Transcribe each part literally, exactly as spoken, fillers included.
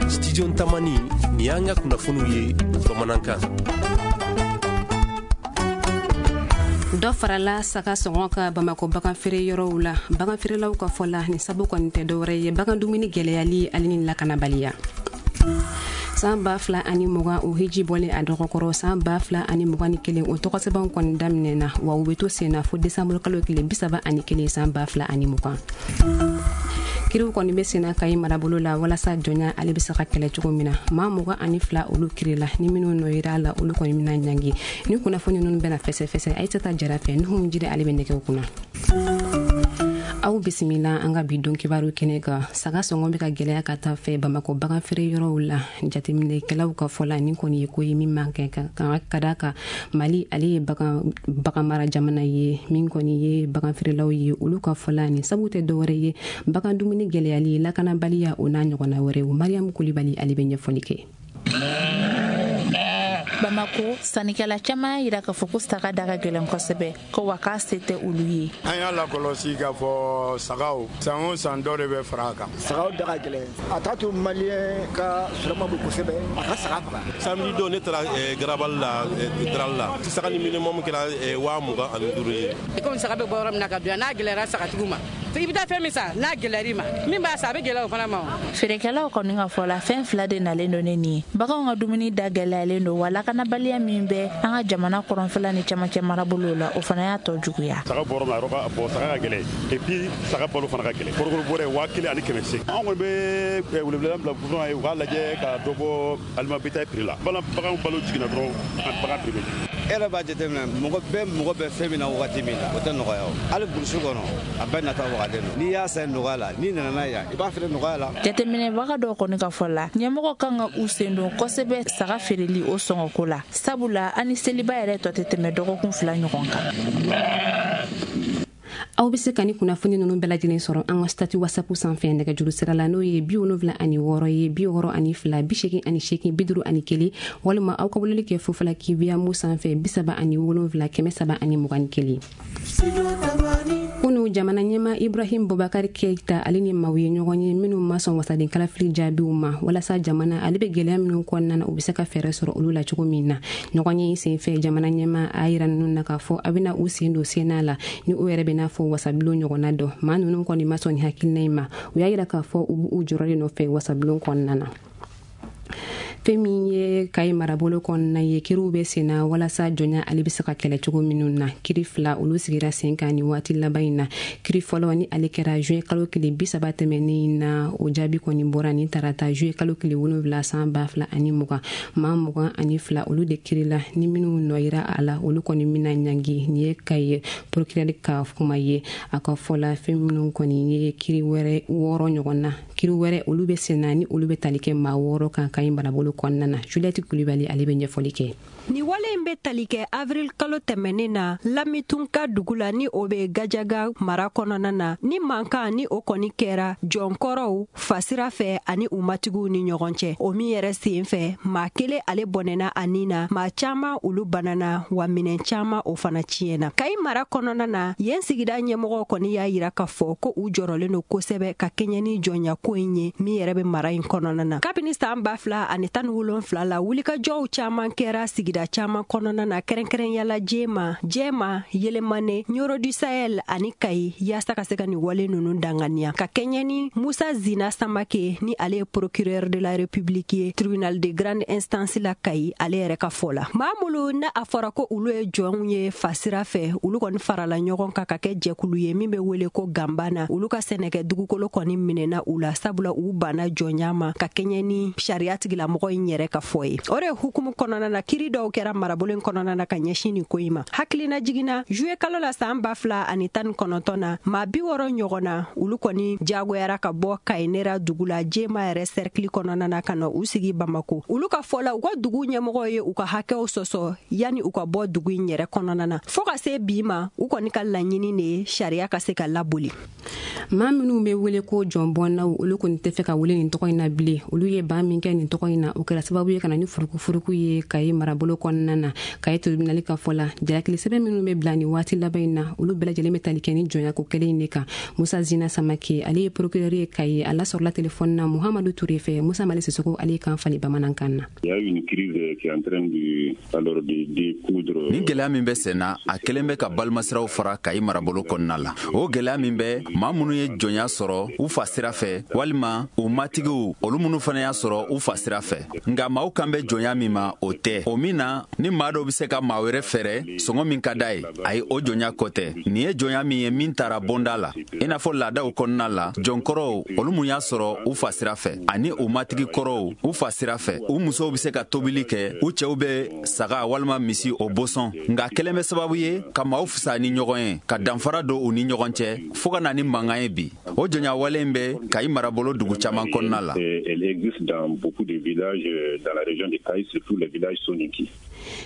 Studio Tamani, ni y'an ka kunnafoniw ye bamanankan. Dɔ farala saga sɔngɔ ka Bamakɔ bagan feere yɔrɔw la. Bagan feerelaw ka fɔ la, nin sabu kɔni tɛ dɔwɛrɛ ye bagan dumuni gɛlɛyali ale ni lakanabaliya. San ba fila ani mugan o hiji bɔlen a dɔgɔkɔrɔ, san ba fila ani mugan ni kelen o tɔgɔsɛbɛnw kɔni daminɛna, wa u bɛ to sen na fo desanburu kalo tile bi saba ani kelen san ba fila ani mugan. Kiriw kɔni bɛ senna Kayi marabolo la walasa jɔnya ale bɛ se ka kɛlɛ cogo min na. Maa mugan ani fila olu kirila, ni minnu nɔ yera a la olu kɔni bɛna ɲangi. Ni kunnafoni ninnu bɛna fɛsɛfɛsɛ Ayisata Jara fɛ, Nuhum Jire ale bɛ nɛgɛw kunna. Aw bisimila an ka bi don kibaru kɛnɛ kan. Saga sɔngɔ bɛ ka gɛlɛya ka taa fɛ Bamakɔ bagan feere yɔrɔw la. Jateminɛkɛlaw ka fɔ la, nin kɔni ye ko ye min man kɛ ka ka d'a kan Mali ale ye bagan bagan mara jamana ye. Min kɔni ye bagan feerelaw ye, olu ka fɔ la, nin sabu tɛ dɔwɛrɛ ye bagan dumuni gɛlɛyali, lakanabaliya, o n'a ɲɔgɔnna wɛrɛw. Mariam Kulibali ale bɛ ɲɛfɔli kɛ. Bamako sannikɛla caman y'a jira k'a fɔ ko saga da ka gɛlɛn kosɛbɛ, ko wa k'a se tɛ olu ye. An y'a lakɔlɔsi k'a fɔ sagaw san o san dɔ de bɛ fara a kan. Sagaw da ka gɛlɛn, a t'a to maliyɛn ka sɔrɔ ma bon kosɛbɛ, a ka saga faga. Samedi don ne taara garabali la, darali la, saga ni minimum kɛra waa mugan ani duuru ye. Komi saga bɛ bɔ yɔrɔ min na ka don yan, n'a gɛlɛyara sagatigiw ma, i bɛ taa fɛn min san, n'a gɛlɛyar'i ma, min b'a san a bɛ gɛlɛya o fana ma. Feerekɛlaw kɔni ka fɔ la, fɛn fila de nalen don ne nin ye. Baganw ka dumuni da gɛlɛyalen don, wa lakanabaliya min bɛ an ka jamana kɔrɔnfɛla ni camancɛ marabolow la, o fana y'a tɔ juguya. Saga bɔrɔ min na, yɔrɔ bɔn saga ka gɛlɛn, et puis saga balo fana ka gɛlɛn. Korokoro bɔrɛ waa kelen ani kɛmɛ seegin. An kɔni bɛ weleweleda bila gouvernement ye, u k'a lajɛ ka dɔ bɔ aliment bétail prix la. Bagan balo jiginna dɔrɔn, bagan prix bɛ jigin. E yɛrɛ b'a jateminɛ, mɔgɔ bɛɛ mɔgɔ bɛ fɛn min na wagati min na, o tɛ nɔgɔya o. Hali burusi kɔnɔ, a bɛɛ nata wagalen don. N'i y'a san nɔgɔya la, n'i nana n'a yan, i b'a feere nɔgɔya la. Jateminɛbaga dɔw kɔni ka fɔ la, ɲɛmɔgɔ kan ka u sen don kosɛbɛ saga feereli o sɔngɔko la, sabula an ni seliba yɛrɛ tɔ tɛ tɛmɛ dɔgɔkun fila ɲɔgɔn kan. Aw bɛ se ka ni kunnafoni ninnu bɛɛ lajɛlen sɔrɔ an ka statut WhatsApp sanfɛ nɛgɛjuru sira la, n'o ye bi wolonwula ani wɔɔrɔ ye, bi wɔɔrɔ ani fila, bi seegin ani seegin, bi duuru ani kelen, walima aw ka weleli kɛ Fofala Kibiyamu sanfɛ bi saba ani wolonwula kɛmɛ saba ani mugan ni kelen. Kunu jamana ɲɛmaa Ibrahim Boubacar Keïta ale ni maaw ye ɲɔgɔn ye minnu ma sɔn wasaden kalafili jaabiw ma, walasa jamana ale bɛ gɛlɛya minnu kɔnɔna na, u bɛ se ka fɛɛrɛ sɔrɔ olu la cogo min na. Ɲɔgɔn ye senfɛ, jamana ɲɛmaa a yira ninnu na k'a fɔ a bɛna u sen don senna la, ni u yɛrɛ bɛna fɔ wasabulon ɲɔgɔnna dɔ. Maa ninnu kɔni ma sɔn nin hakilina in ma, u y'a yira k'a fɔ u b'u jɔyɔrɔ de nɔfɛ wasabulon kɔnɔna na. Fɛn min ye Kayi marabolo kɔnɔna ye, kiriw bɛ senna walasa jɔnya ale bɛ se ka kɛlɛ cogo minnu na. Kiri fila olu sigira sen kan nin waati laban in na. Kiri fɔlɔ ni ale kɛra juin kalo tile bi saba tɛmɛnen na, o jaabi kɔni bɔra nin tarata juin kalo tile wolonwula san ba fila ani mugan. Maa mugan ani fila olu de kirila, ni minnu nɔ yira a la olu kɔni bɛna ɲangi. Nin ye Kayi procureur ka kuma ye. A ka fɔ la, fɛn minnu kɔni ye kiri wɛrɛ wɔɔrɔ ɲɔgɔn na, kiri wɛrɛ olu bɛ senna ni olu bɛ tali kɛ maa wɔɔrɔ kan Kayi marabolo kɔnɔna na. Juliette Kulibali ale bɛ ɲɛfɔli kɛ. Ni wale in bɛ tali kɛ avril kalo tɛmɛnen na Lamitunka dugu la, ni o bɛ Gajaga mara kɔnɔna na, ni mankan ni o kɔni kɛra jɔnkɔrɔw fasira fɛ ani u matigiw ni ɲɔgɔn cɛ. O min yɛrɛ sen fɛ, maa kelen ale bɔnɛna a nin na, maa caman olu banana, wa minɛn caman o fana tiɲɛna. Kayi mara kɔnɔna na, yen sigida ɲɛmɔgɔw kɔni y'a yira k'a fɔ ko u jɔrɔlen don kosɛbɛ ka kɛɲɛ ni jɔnya ko in ye min yɛrɛ bɛ mara in kɔnɔna na. Kabini san ba fila ani tan ni wolonfila la, wulikajɔw caman kɛra sigida caman kɔnɔna na, kɛrɛnkɛrɛnya la Jema, Jɛma, Yelemane, Nioro du Sahel ani Kayi, yaasa ka se ka nin wale ninnu danganiya. Ka kɛɲɛ ni Musa Zina Samake, ni ale ye procureur de la République ye tribunal de grande instance la Kayi, ale yɛrɛ ka fɔ la, maa minnu na a fɔra ko olu ye jɔnw ye fasira fɛ, olu kɔni farala ɲɔgɔn kan ka kɛ jɛkulu ye min bɛ wele ko Gambana. Olu ka sɛnɛkɛ dugukolo kɔni minɛna u la, sabula u banna jɔnya ma ka kɛɲɛ ni sariya tigilamɔgɔ in yɛrɛ ka fɔ ye. O de hukumu kɔnɔna na, kiri dɔw kɛra marabolo in kɔnɔna na ka ɲɛsin nin ko in ma. Hakilina jiginna juillet kalo la san ba fila ani tan ni kɔnɔntɔn na, maa bi wɔɔrɔ ɲɔgɔn na olu kɔni jagoyara ka bɔ Kayinera dugu la Jema yɛrɛ cercle kɔnɔna na ka na u sigi Bamako. Olu ka fɔ la, u ka dugu ɲɛmɔgɔw ye u ka hakɛw sɔsɔ yanni u ka bɔ dugu in yɛrɛ kɔnɔna na. Fo ka se bi ma, u kɔni ka laɲini de ye sariya ka se ka laboli. Maa minnu bɛ wele ko jɔnbɔnnaw, olu kɔni tɛ fɛ ka wele nin tɔgɔ in na bilen. Olu ye ban min kɛ nin tɔgɔ in na, o kɛra sababu ye ka na ni furukufuruku ye Kayi marabolo kɔnɔna na. Kayi tribunal ka fɔ la, jalakili sɛbɛn minnu bɛ bila nin waati laban in na, olu bɛɛ lajɛlen bɛ tali kɛ ni jɔnya ko kelen in de kan. Musa Zina Samake, ale ye procureur ye Kayi, a lasɔrɔla telefɔni na Muhamadu Ture fɛ. Musa Mali Sisoko, ale kan fali bamanankan na. Il y a une crise qui est en train de, alors, de découdre. Ni gɛlɛya min bɛ sen na, a kelen bɛ ka balimasiraw fara Kayi marabolo kɔnɔna la. O gɛlɛya min bɛ maa minnu ye jɔnya sɔrɔ u fa sira fɛ, walima u matigiw, olu minnu fana y'a sɔrɔ u fa sira fɛ. Nka maaw kan bɛ jɔnya min ma, o tɛ o min na ni maa dɔw bɛ se ka maa wɛrɛ fɛrɛ sɔngɔ min ka d'a ye. Ayi, o jɔnya kɔ tɛ. Nin ye jɔnya min ye min taara bonda la, i n'a fɔ laadaw kɔnɔna la, jɔnkɔrɔw, olu mun y'a sɔrɔ u fa sira fɛ, ani u matigi kɔrɔw u fa sira fɛ, u musow bɛ se ka tobili kɛ, u cɛw bɛ saga walima misi o bosɔn. Nka kelen bɛ sababu ye ka maaw fisaya ni ɲɔgɔn ye, ka danfara don u ni ɲɔgɔn cɛ, fo ka na ni mankan ye bi. O jɔnya wale in bɛ Kayi marabolo dugu caman kɔnɔna la. Elle existe dans beaucoup de villages dans la région de Kayes, surtout les villages soninké.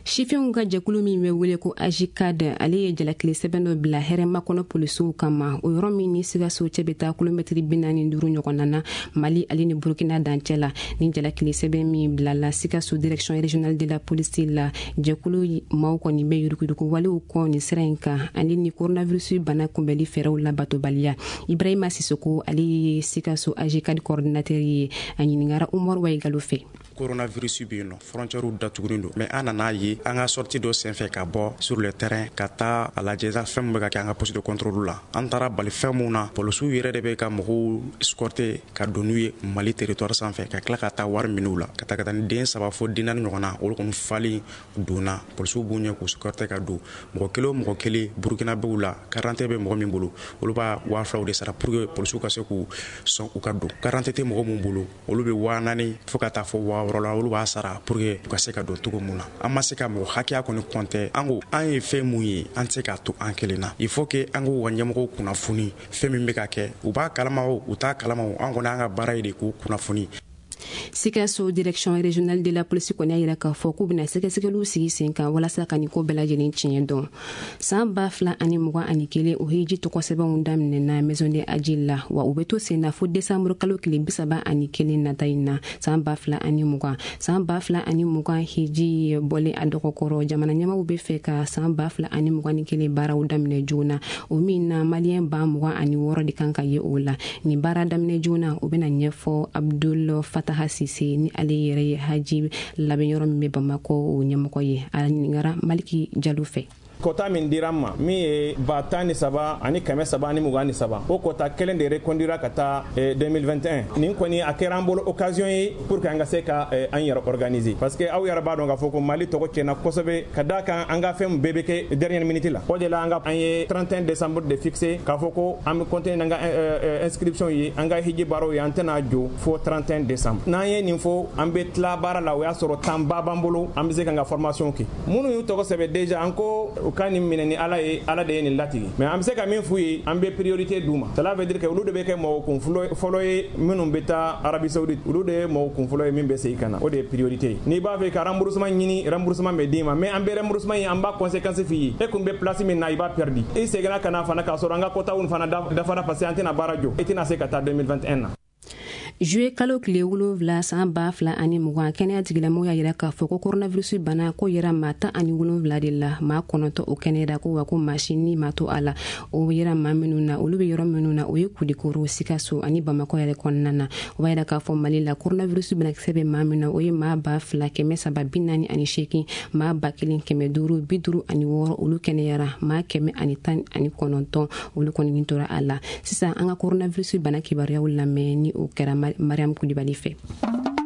Sifinw ka jɛkulu min bɛ wele ko AJCAD, ale ye jalakili sɛbɛn dɔ bila hɛrɛma kɔnɔ polisiw kama, o yɔrɔ min ni Sikaso cɛ bɛ taa kilomɛtiri bi naani duuru ɲɔgɔnna na, Mali ale ni Burukina dancɛ la. Ni jalakili sɛbɛn min bilala Sikaso direction régionale de la police la, jɛkulu maaw kɔni bɛ yuruguyurugu walew kɔ nin sira in kan, ale ni coronavirus bana kunbɛli fɛɛrɛw labatobaliya. Ibrahima Sisoko, ale ye Sikaso AJCAD coordinateur ye, a ɲininkara Umaru Wayigalo fɛ. Coronavirus bɛ yen nɔ, frontière datugulen don, mais an nana ye an ka sortie dɔ senfɛ ka bɔ sur le terrain ka taa a lajɛ fɛn min bɛ ka kɛ an ka poste de contrôle la. An taara bali fɛn mun na, polisiw yɛrɛ de bɛ ka mɔgɔw escorter ka don n'u ye Mali territoire sanfɛ, ka tila ka taa wari minɛ u la, ka taa ka taa ni den saba fo den naani ɲɔgɔn na. Olu kɔni falen donna, polisiw b'u ɲɛ k'u escorter ka don. Mɔgɔ kelen o mɔgɔ kelen burukinabew la, carte bɛ mɔgɔ min bolo, olu b'a waa filaw de sara pour que polisiw ka se k'u sɔn u ka don. Carte tɛ mɔgɔ mun bolo, olu bɛ waa naani fo ka taa fɔ waa wɔɔrɔ la, olu b'a sara pour que u ka se ka don cogo mun na. An ma se ka mɔgɔ hakɛya kɔni kɔntɛ. An ko an ye fɛn mun ye, an tɛ se k'a to an kelen na. Il faut que an k'u ka ɲɛmɔgɔw kunnafoni fɛn min bɛ ka kɛ. U b'a kalama o, u t'a kalama o, an kɔni an ka baara ye de k'u kunnafoni. Sikaso direction régionale de la police kɔni y'a yira k'a fɔ k'u bɛna sɛgɛsɛgɛliw sigi sen kan walasa ka nin ko bɛɛ lajɛlen tiɲɛ dɔn. San ba fila ani mugan ani kelen, o hiji tɔgɔ sɛbɛnw daminɛna maison de Hadji la, wa u bɛ to sen na fo décembre kalo tile bi saba ani kelen nata in na, san ba fila ani mugan. San ba fila ani mugan hiji bɔlen a dɔgɔkɔrɔ, jamana ɲɛmaw bɛ fɛ ka san ba fila ani mugan ni kelen baaraw daminɛ joona, o min na maliyɛn ba mugan ani wɔɔrɔ de kan ka ye o la. Nin baara daminɛ joona, o bɛna ɲɛfɔ Abdul Fataha Sise, ni ale yɛrɛ ye haji labɛn yɔrɔ min bɛ Bamakɔ, o ɲɛmɔgɔ ye. A ɲininkara Maliki Jalo fɛ. Kɔta min dira an ma, min ye ba tan ni saba ani kɛmɛ saba ani mugan ni saba, o kɔta kelen de reconduira ka taa deux mille vingt et un. Nin kɔni a kɛra an bolo occasion ye pour que an ka se ka an yɛrɛ organiser, parce que aw yɛrɛ b'a dɔn k'a fɔ ko Mali tɔgɔ tiɲɛna kosɛbɛ, ka d'a kan an ka fɛn bɛɛ bɛ kɛ dernière minute la. O de la an ka an ye trente et un décembre de fixé k'a fɔ ko an bɛ continuer n'an ka inscription ye, an ka hiji baaraw ye, an tɛna jɔ fo trente et un décembre. N'an ye nin fɔ, an bɛ tila baara la, o y'a sɔrɔ temps ba b'an bolo, an bɛ se k'an ka formation kɛ. Minnu y'u tɔgɔ sɛbɛn déjà, an ko u ka nin minɛ ni Ala ye, Ala de ye nin latigɛ, mais an bɛ se ka min f'u ye, an bɛ priorité d'u ma. Cela veut dire que olu de bɛ kɛ mɔgɔ kun fɔlɔ ye minnu bɛ taa Arabie Saoudite, olu de ye mɔgɔ kun fɔlɔ ye min bɛ segin ka na, o de ye priorité ye. N'i b'a fɛ ka remboursement ɲini, remboursement bɛ d'i ma, mais an bɛ remboursement ye, an b'a conséquence f'i ye. E kun bɛ place min na, i b'a perdu. I seginna ka na fana k'a sɔrɔ an ka quotaw fana dafara, parce que an tɛna baara jɔ, i tɛna se ka taa deux mille vingt et un na. Juillet kalo tile wolonwula san ba fila ani mugan, kɛnɛya tigilamɔgɔw y'a yira k'a fɔ ko coronavirus bana ko yera maa tan ani wolonwula de la, maa kɔnɔntɔ o kɛnɛyara, ko wa ko maa si ni maa to a la. O yera maa minnu na, olu bɛ yɔrɔ minnu na, o ye Kulikoro, Sikaso ani Bamakɔ yɛrɛ kɔnɔna na. O b'a yira k'a fɔ Mali la, coronavirus banakisɛ bɛ maa min na, o ye maa ba fila kɛmɛ saba bi naani ani seegin. Maa ba kelen kɛmɛ duuru bi duuru ani wɔɔrɔ, olu kɛnɛyara. Maa kɛmɛ ani tan ani kɔnɔntɔn, olu kɔni tora a la. Sisan an ka coronavirus bana kibaruyaw lamɛn, ni o kɛra Mariam Kulibali fɛ.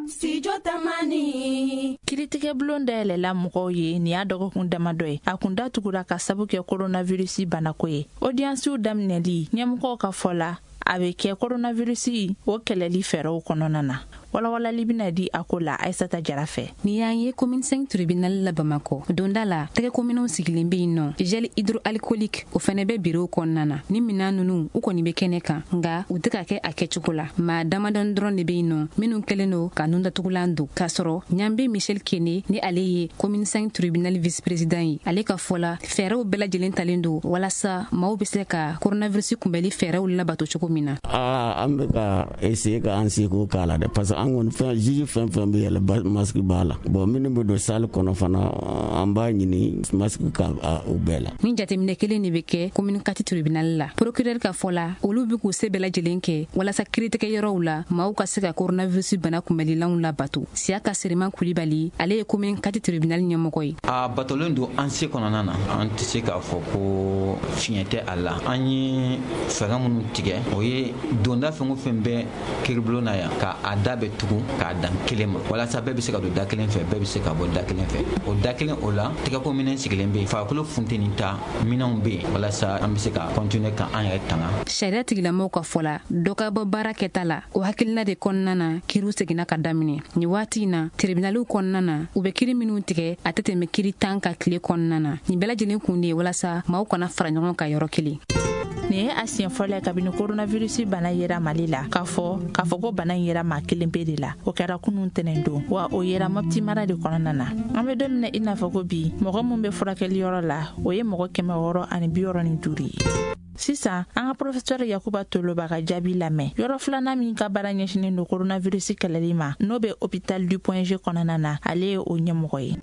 Studio Tamani. Kiritigɛ bulon dayɛlɛla mɔgɔw ye nin y'a dɔgɔkun damadɔ ye. A kun datugura ka sabu kɛ coronavirus banako ye. Audiencew daminɛli, ɲɛmɔgɔw ka fɔ la, A bɛ kɛ coronavirus o kɛlɛli fɛɛrɛw kɔnɔna na. Walawalali bɛna di a ko la Aissata Jara fɛ. Ni y'an ye commune cinq tribunal la Bamakɔ, donda la tɛgɛkominɛw sigilen bɛ yen nɔ, gel hydroalcoolique o fɛnɛ bɛ bureau kɔnɔna na. Ni minan ninnu u kɔni bɛ kɛnɛ kan, nka u tɛ ka kɛ a kɛcogo la. Maa damadɔni dɔrɔn de bɛ yen nɔ minnu kɛlen don ka nundatugulan don. K'a sɔrɔ Ɲanbe Michel Kene ni ale ye commune cinq tribunal vice président ye, ale ka fɔ la fɛɛrɛw bɛɛ lajɛlen talen don walasa maaw bɛ se ka coronavirus kunbɛli fɛɛrɛw labato cogo min na. Aa, an bɛ ka essayer ka an seko k'a la dɛ, parce que an kɔni fɛn juge fɛn fɛn bɛ yɛlɛ masque b'a la. Bon, minnu bɛ don salle kɔnɔ fana, an b'a ɲini masque ka u bɛɛ la. Ni jateminɛ kelen de bɛ kɛ commune quatre tribunal la. Procureur ka fɔ la, olu bɛ k'u se bɛɛ lajɛlen kɛ walasa kiiritigɛyɔrɔw la maaw ka se ka coronavirus bana kunbɛlilanw labato. Siyaka Seriman Kulibali, ale ye commune quatre tribunal ɲɛmɔgɔ ye. A batolen don an se kɔnɔna na, an tɛ se k'a fɔ ko fiɲɛ tɛ a la. An ye fɛɛrɛ minnu tigɛ, o ye donda fɛn o fɛn bɛ kiiribulon na yan, ka a da bɛ tugu k'a dan kelen ma, walasa bɛɛ bɛ se ka don da kelen fɛ, bɛɛ bɛ se ka bɔ da kelen fɛ. O da kelen o la, tɛgɛko minɛn sigilen bɛ yen, farikolo funteni ta minɛnw bɛ yen, walasa an bɛ se ka continuer ka an yɛrɛ tanga. Sariya tigilamɔgɔw ka fɔ la, dɔ ka bɔ baara kɛta la, o hakilina de kɔnɔna na kiiriw seginna ka daminɛ. Nin waati in na, tribunaliw kɔnɔna na, u bɛ kiiri minnu tigɛ a tɛ tɛmɛ kiiri tan ka tile kɔnɔna na. Nin bɛɛ lajɛlen kun de ye walasa maaw kana fara ɲɔgɔn kan yɔrɔ kelen. Nin ye a siɲɛ fɔlɔ ye kabini coronavirus bana yera Mali la, k'a fɔ k'a fɔ ko bana in yera maa kelen pe de la. O kɛra kunun tɛnɛn don, wa o yera Mopti mara de kɔnɔna na. An bɛ don min na i n'a fɔ ko bi, mɔgɔ min bɛ furakɛli yɔrɔ la, o ye mɔgɔ kɛmɛ wɔɔrɔ ani bi wɔɔrɔ ni duuru ye. Sisan an ka professeur Yakuba Toloba ka jaabi lamɛn. Yɔrɔ filanan min ka baara ɲɛsinnen don coronavirus kɛlɛli ma, n'o bɛ hôpital du Point G kɔnɔna na, ale ye o ɲɛmɔgɔ ye.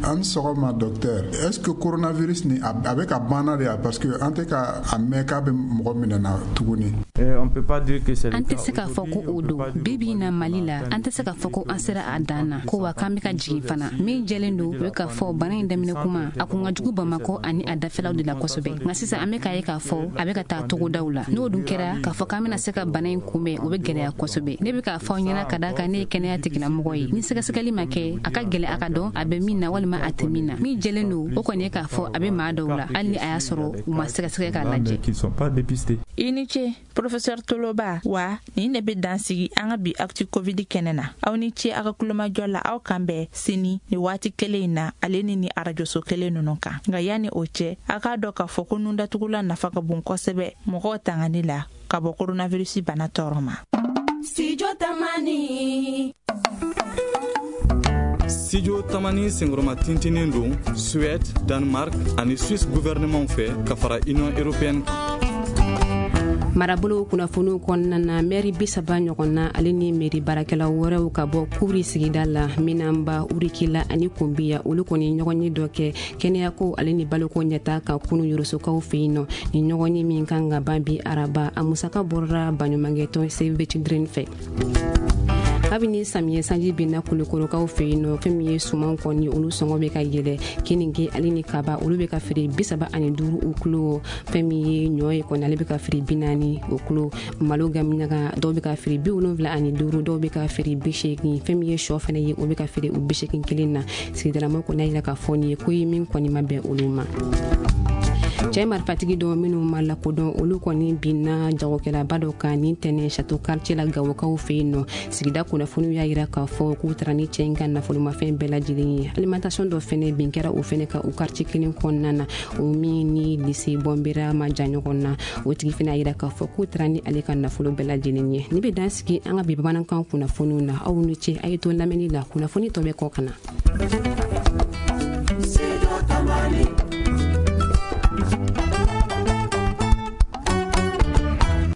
An sɔgɔma docteur, est-ce que coronavirus ni a bɛ ka banna de ya, parce que an tɛ ka a mɛn k'a bɛ mɔgɔ minɛ na tuguni? An tɛ se k'a fɔ ko o don. Bi bi in na Mali la, an tɛ se k'a fɔ ko an sera a dan na, ko wa k'an bɛ ka jigin fana. Min jɛlen don, o ye k'a fɔ bana in daminɛ kuma a kun ka jugu Bamakɔ ani a dafɛlaw de la kosɛbɛ. Nka sisan an bɛ k'a ye k'a fɔ a bɛ ka taa togodaw la. N'o dun kɛra k'a fɔ k'an bɛna se ka bana in kunbɛn, o bɛ gɛlɛya kosɛbɛ. Ne bɛ k'a fɔ aw ɲɛna ka d'a kan ne ye kɛnɛya tigilamɔgɔ ye. Ni sɛgɛsɛgɛli ma kɛ, a ka gɛlɛn a ka dɔn a bɛ min na walima a tɛ min na. Min jɛlen don, o kɔni ye k'a fɔ a bɛ maa dɔw la, hali ni a y'a sɔrɔ u ma sɛgɛsɛgɛ k'a lajɛ. I ni ce professeur Toloba. Wa nin de bɛ dan sigi an ka bi actu Covid kɛnɛ na. Aw ni ce aw ka kulomajɔ la, aw kan bɛn sini ni waati kelen in na, ale ni ni arajoso kelen ninnu kan. Nka yanni o cɛ, a k'a dɔn k'a fɔ ko nundatugulan nafa ka bon kosɛbɛ mɔgɔw tangani la ka bɔ coronavirus bana tɔɔrɔ ma. Studio Tamani. Studio Tamani senkɔrɔma tintinen don Suède, Danemark ani Suisse gouvernement fɛ ka fara Union européenne kan. Marabolo kunnafoniw kɔnɔna na, mɛri bi saba ɲɔgɔn na ale ni mɛri baarakɛla wɛrɛw ka bɔ Kuri sigida la, Minanba, Urikila ani Kunbiya, olu kɔni ɲɔgɔn ye dɔ kɛ kɛnɛyako ale ni baloko ɲɛta ka kunu Yorosokaw fɛ yen nɔ. Ni ɲɔgɔn ye min kan ka ban bi araba, a musaka bɔra baɲumankɛtɔn Save the Children fɛ. Kabini samiyɛ sanji binna Kulukorokaw fɛ yen nɔ, fɛn min ye sumanw kɔni olu sɔngɔ bɛ ka yɛlɛ. Keninge ale ni kaba olu bɛ ka feere bi saba ani duuru o kilo. Fɛn min ye ɲɔ ye kɔni, ale bɛ ka feere bi naani o kilo. Malo gaminaga dɔw bɛ ka feere bi wolonwula ani duuru, dɔw bɛ ka feere bi seegin. Fɛn min ye sɔ fana ye, o bɛ ka feere o bi seegin kelen na. Sigidalamɔgɔw kɔni y'a jira k'a fɔ nin ye ko ye min kɔni ma bɛn olu ma. Cɛ marifatigi dɔ minnu ma lakodɔn, olu kɔni binna jagokɛlaba dɔ kan nin tɛnɛ Château quartier la Gawokaw fɛ yen nɔ. Sigida kunnafoniw y'a jira k'a fɔ k'u taara ni cɛ in ka nafolomafɛn bɛɛ lajɛlen ye. Alimentation dɔ fɛnɛ bin kɛra o fɛnɛ kan o quartier kelen kɔnɔna na, o min ni lycée Bɔnbera ma jan ɲɔgɔn na. O tigi fɛnɛ y'a jira k'a fɔ k'u taara ni ale ka nafolo bɛɛ lajɛlen ye. Ni bɛ dan sigi an ka bi bamanankan kunnafoniw na. Aw ni ce, a ye to lamɛnni la, kunnafoni tɔ bɛ kɔ ka na.